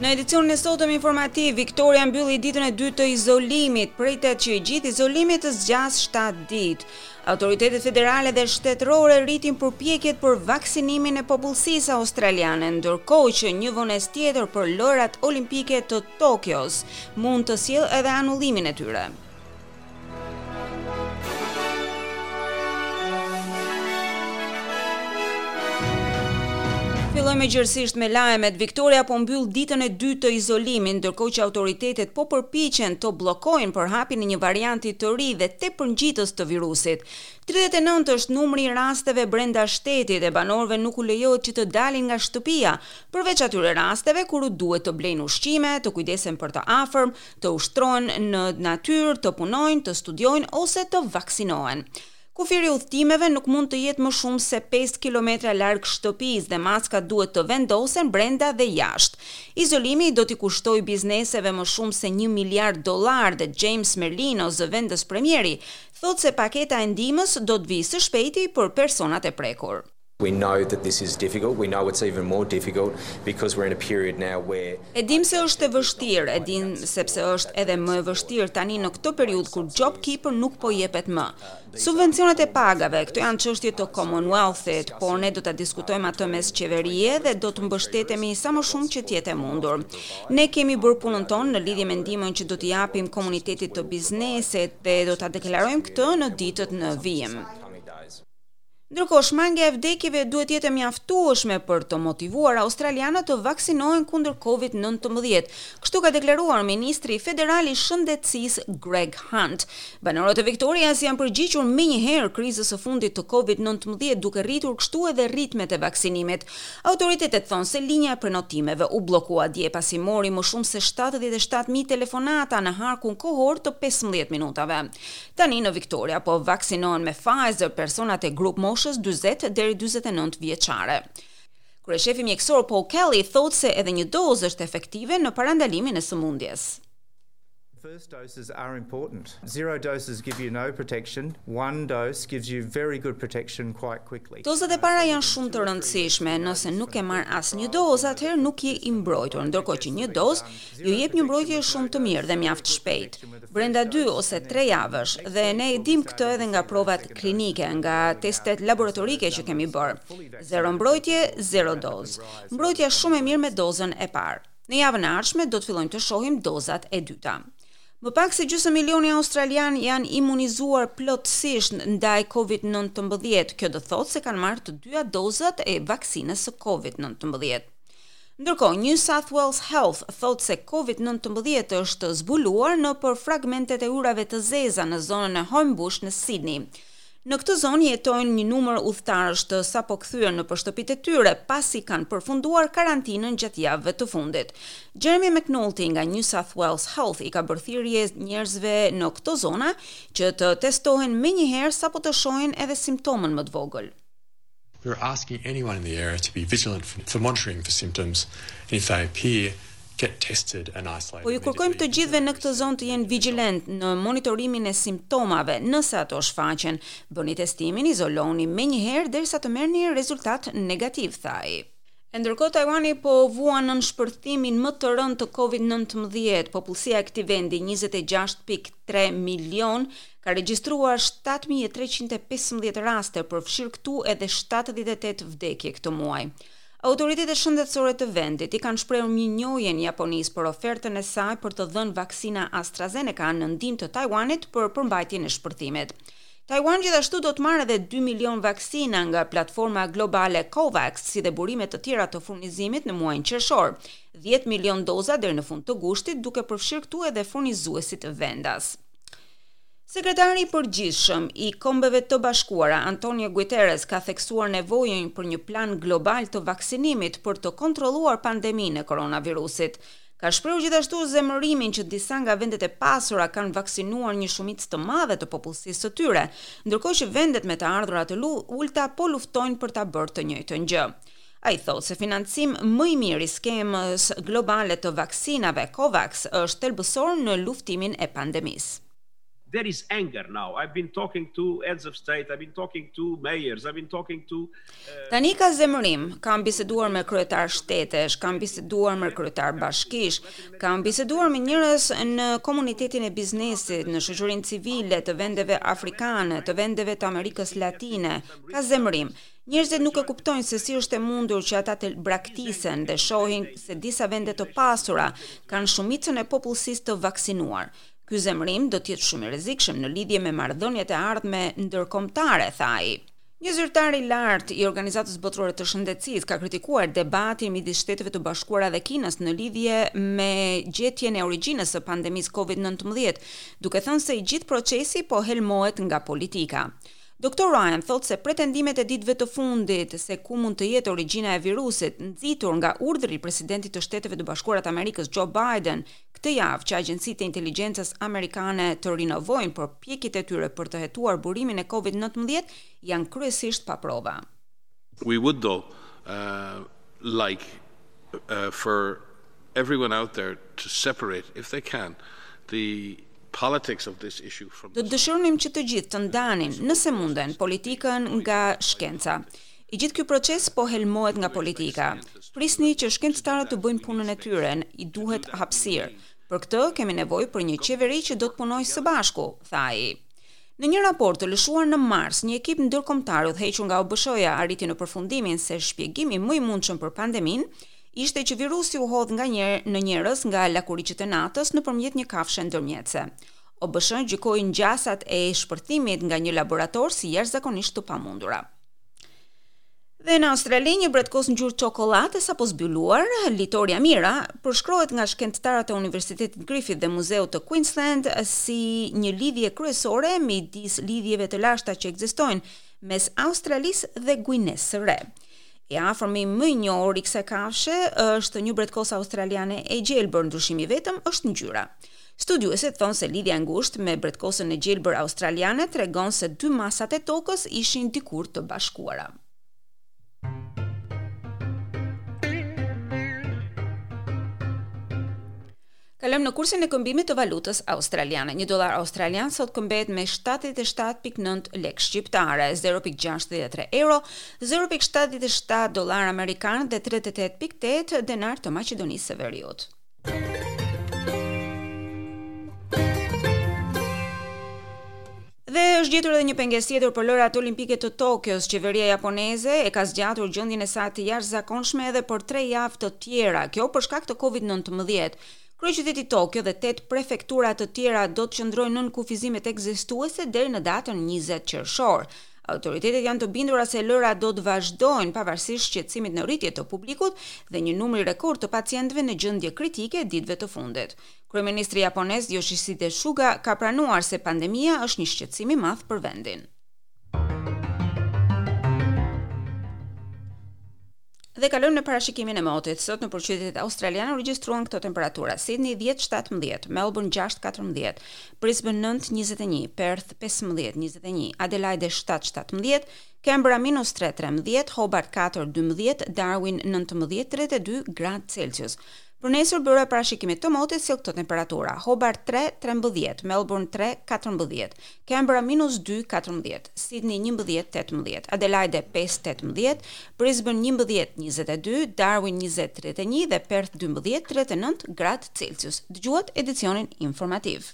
Në edicionin e sotëm informativ, Victoria mbylli ditën e dytë të izolimit, pritet që i gjithë izolimi të zgjasë 7 ditë. Autoritetet federale dhe shtetërore rritin përpjekjet për vaksinimin e popullsisë australiane, ndërkohë që një vonesë tjetër për Lojërat Olimpike të Tokios mund të sjellë edhe anullimin e tyre. Fillojmë gjerësisht me lajmet. Victoria po mbyll ditën e dytë të izolimit, ndërkohë që autoritetet po përpiqen të bllokojnë përhapjen e një varianti të ri dhe tepër ngjitës të virusit. 39 është numri i rasteve brenda shtetit e banorëve nuk u lejohet që të dalin nga shtëpia, përveç atyre rasteve kur u duhet të blejnë ushqime, të kujdesen për të afërm, të ushtrohen në natyrë, të punojnë, të studiojnë ose të vaksinohen. Kufiri i udhëtimeve nuk mund të jetë më shumë se 5 kilometra larg shtëpisë dhe maskat duhet të vendosen brenda dhe jashtë. Izolimi do t'i kushtojë bizneseve më shumë se 1 miliard dollar dhe James Merlino, zëvendës premieri, thotë se paketa e ndihmës do të vijë së shpejti për personat e prekur. We know that this is difficult. We know it's even more difficult because we're in a period now where E dim se është e vështirë, e dim sepse është edhe më e vështirë tani në këtë periudhë kur JobKeeper nuk po jepet më. Subvencionet e pagave, këto janë çështje të Commonwealth-it, por ne do ta diskutojmë atë mes qeverie dhe do të mbështetemi sa më shumë që të jetë e mundur. Ne kemi bërë punën tonë në lidhje me ndihmën që do t'i japim komunitetit të biznesit dhe do ta deklarojmë këtë në ditët në vijim. Ndërkohë, shmangia e vdekjeve duhet të jetë e mjaftueshme për të motivuar australianët të vaksinohen kundër COVID-19. Kështu ka deklaruar ministri federal i shëndetësisë Greg Hunt. Banorët e Victorias janë përgjigjur menjëherë krizës së fundit të COVID-19 duke rritur kështu edhe ritmet e vaksinimit. Autoritetet thonë se linja e prenotimeve u bllokua dje pasi mori më shumë se 77.000 telefonata në harkun kohor të 15 minutave. Tani në Victoria po vaksinohen me Pfizer personat e grup moshës 40 deri 49 vjeçare. Kryeshefi mjekësor Paul Kelly thotë se edhe një dozë është efektive në parandalimin e sëmundjes. First doses are important. Zero doses give you no protection. One dose gives you very good protection quite quickly. Dozat e para janë shumë të rëndësishme. Nëse nuk ke marrë asnjë dozë, atëherë nuk je i mbrojtur, ndërkohë që një dozë ju jep një mbrojtje shumë të mirë dhe mjaft shpejt brenda 2 ose 3 javësh dhe ne e dim këtë edhe nga provat klinike, nga testet laboratorike që kemi bërë. Zero mbrojtje, zero dozë. Mbrojtja shumë e mirë me dozën e parë. Në javën e ardhshme do të fillojmë të shohim dozat e dyta. Më pak se gjysmë milioni australian janë imunizuar plotësisht ndaj COVID-19. Kjo do thotë se kanë marrë të dyja dozat e vaksinës së COVID-19. Ndërkohë, New South Wales Health thotë se COVID-19 është zbuluar nëpër fragmentet e urave të zeza në zonën e Homebush në Sydney. Në këtë zonë jetojnë një numër udhëtarësh të sapo kthyer nëpër shtëpitë e tyre pasi kanë përfunduar karantinën gjatë javëve të fundit. Jeremy McNulty nga New South Wales Health i ka bërë thirrje njerëzve në këto zona që të testohen menjëherë sapo të shohin edhe simptomën më të vogël. We're asking anyone in the area to be vigilant for, for monitoring for symptoms and if they appear get tested and isolated. Po ju kërkojmë të gjithëve në këtë zonë të jenë vigjilent në monitorimin e simptomave, nëse ato shfaqen. Bëni testimin, izoloni menjëherë derisa të merrni rezultat negativ, tha ai. E ndërkohë Taiwani po vuan nën shpërthimin më të rëndë të COVID-19. Popullsia e këtij vendi 26.3 milion ka regjistruar 7315 raste, përfshirë këtu edhe 78 vdekje këtë muaj. Autoritetet shëndetësore të vendit i kanë shprehur mirënjohjen Japonisë për ofertën e saj për të dhënë vaksina AstraZeneca në ndihmë të Taiwanit për përmbajtjen e shpërthimit. Taiwan gjithashtu do të marrë edhe 2 milion vaksina nga platforma globale COVAX, si dhe burime të tjera të furnizimit në muajin qershor, 10 milion doza deri në fund të gushtit, duke përfshirë këtu edhe furnizuesit vendas. Sekretari i përgjithshëm i Kombeve të Bashkuara, Antonio Guterres, ka theksuar nevojën për një plan global të vaksinimit për të kontrolluar pandeminë e koronavirusit. Ka shprehur gjithashtu zemërimin që disa nga vendet e pasura kanë vaksinuar një shumicë të madhe të popullsisë së tyre, ndërkohë që vendet me të ardhura të ulta po luftojnë për ta bërë të njëjtën gjë. Ai thotë se financim më i mirë i skemës globale të vaksinave COVAX është thelbësor në luftimin e pandemisë. There is anger now. I've been talking to heads of state, I've been talking to mayors, I've been talking to uh, Tani ka zemërim. Kam biseduar me kryetarë shtetesh, kam biseduar me kryetarë bashkish, kam biseduar me njerëz në komunitetin e biznesit, në shoqërinë civile të vendeve afrikane, të vendeve të Amerikës Latine. Ka zemërim. Njerëzit nuk e kuptojnë se si është e mundur që ata të braktisen dhe shohin se disa vende të pasura kanë shumicën e popullsisë të vaksinuar. Ky zemërim do të jetë shumë i rrezikshëm në lidhje me marrëdhëniet e ardhme ndërkombëtare, tha ai. Një zyrtar i lartë i Organizatës Botërore të Shëndetësisë ka kritikuar debatin midis Shteteve të Bashkuara dhe Kinës në lidhje me gjetjen e origjinës së pandemisë Covid-19, duke thënë se i gjithë procesi po helmohet nga politika. Doktor Ryan thotë se pretendimet e ditëve të fundit se ku mund të jetë origjina e virusit, nxitur nga urdhri i presidentit të Shteteve të Bashkuara të Amerikës Joe Biden këtë javë që agjencitë e inteligjencës amerikane të rinovojnë përpjekjet e tyre për të hetuar burimin e Covid-19 janë kryesisht pa prova. We would though uh, like uh, for everyone out there to separate if they can the politics of this issue from Do të dëshironim që të gjithë të ndanin, nëse munden, politikën nga shkenca. I gjithë ky proces po helmohet nga politika. Prisni që shkencëtarët të bëjnë punën e tyre, i duhet hapësirë. Për këtë kemi nevojë për një qeveri që do të punojë së bashku, tha ai. Në një raport të lëshuar në mars, një ekip ndërkombëtar udhëhequr nga OBSH-ja arriti në përfundimin se shpjegimi më i mundshëm për pandeminë ishte që virusi u hodh nga njer në njerëz nga lakuriqët e natës nëpërmjet një kafshe ndërmjetëse. OBSH gjykoi ngjasat e shpërthimit nga një laborator si jashtëzakonisht të pamundura. Dhe në Australi, një bretkosë ngjyrë çokollatë e sapo zbuluar, Litoria mira, përshkruhet nga shkencëtarët e Universitetit Griffith dhe Muzeut të Queensland si një lidhje kryesore midis lidhjeve të lashta që ekzistojnë mes Australisë dhe Guinesë së Re. I afërmi më i njohur i kësaj kafshe është një bretkosë australiane e gjelbër, ndryshimi i vetëm është ngjyra. Studiuesit thonë se lidhja e ngushtë me bretkosën e gjelbër australiane tregon se dy masat e tokës ishin dikur të bashkuara. Kalojmë në kursin e këmbimit të valutës australiane. Një dollar australian sot këmbehet me 77.9 lekë shqiptare, 0.63 euro, 0.77 dollar amerikan dhe 38.8 denar të Maqedonisë së Veriut. Dhe është gjetur edhe një pengesë tjetër për Lojërat Olimpike të Tokios. Qeveria japoneze e ka zgjatur gjendjen e saj të jashtëzakonshme edhe për 3 javë të tjera, kjo për shkak të Covid-19. Kryeqyteti Tokio dhe 8 prefektura të tjera do të qëndrojnë nën kufizimet ekzistuese deri në datën 20 qershor. Autoritetet janë të bindura se lojërat do të vazhdojnë pavarësisht shqetësimit në rritje të publikut dhe një numri rekord të pacientëve në gjendje kritike ditëve të fundit. Kryeministri japonez Yoshihide Suga ka pranuar se pandemia është një shqetësim i madh për vendin. Dhe kalojmë në parashikimin e motit. Sot nëpër qytetet australiane u regjistruan këto temperatura: Sydney 10-17, Melbourne 6-14, Brisbane 9-21, Perth 15-21, Adelaide 7-17, Canberra minus 3-13, Hobart 4-12, Darwin 19-32 gradë Celsius. Për nesër byroja e parashikimit të motit sjell këto temperatura: Hobart 3, 13, Melbourne 3, 14, Canberra minus 2, 14, Sydney 11, 18, Adelaide 5, 18, Brisbane 11, 22, Darwin 20, 31 dhe Perth 12, 39 gradë Celsius. Dëgjuat edicionin informativ.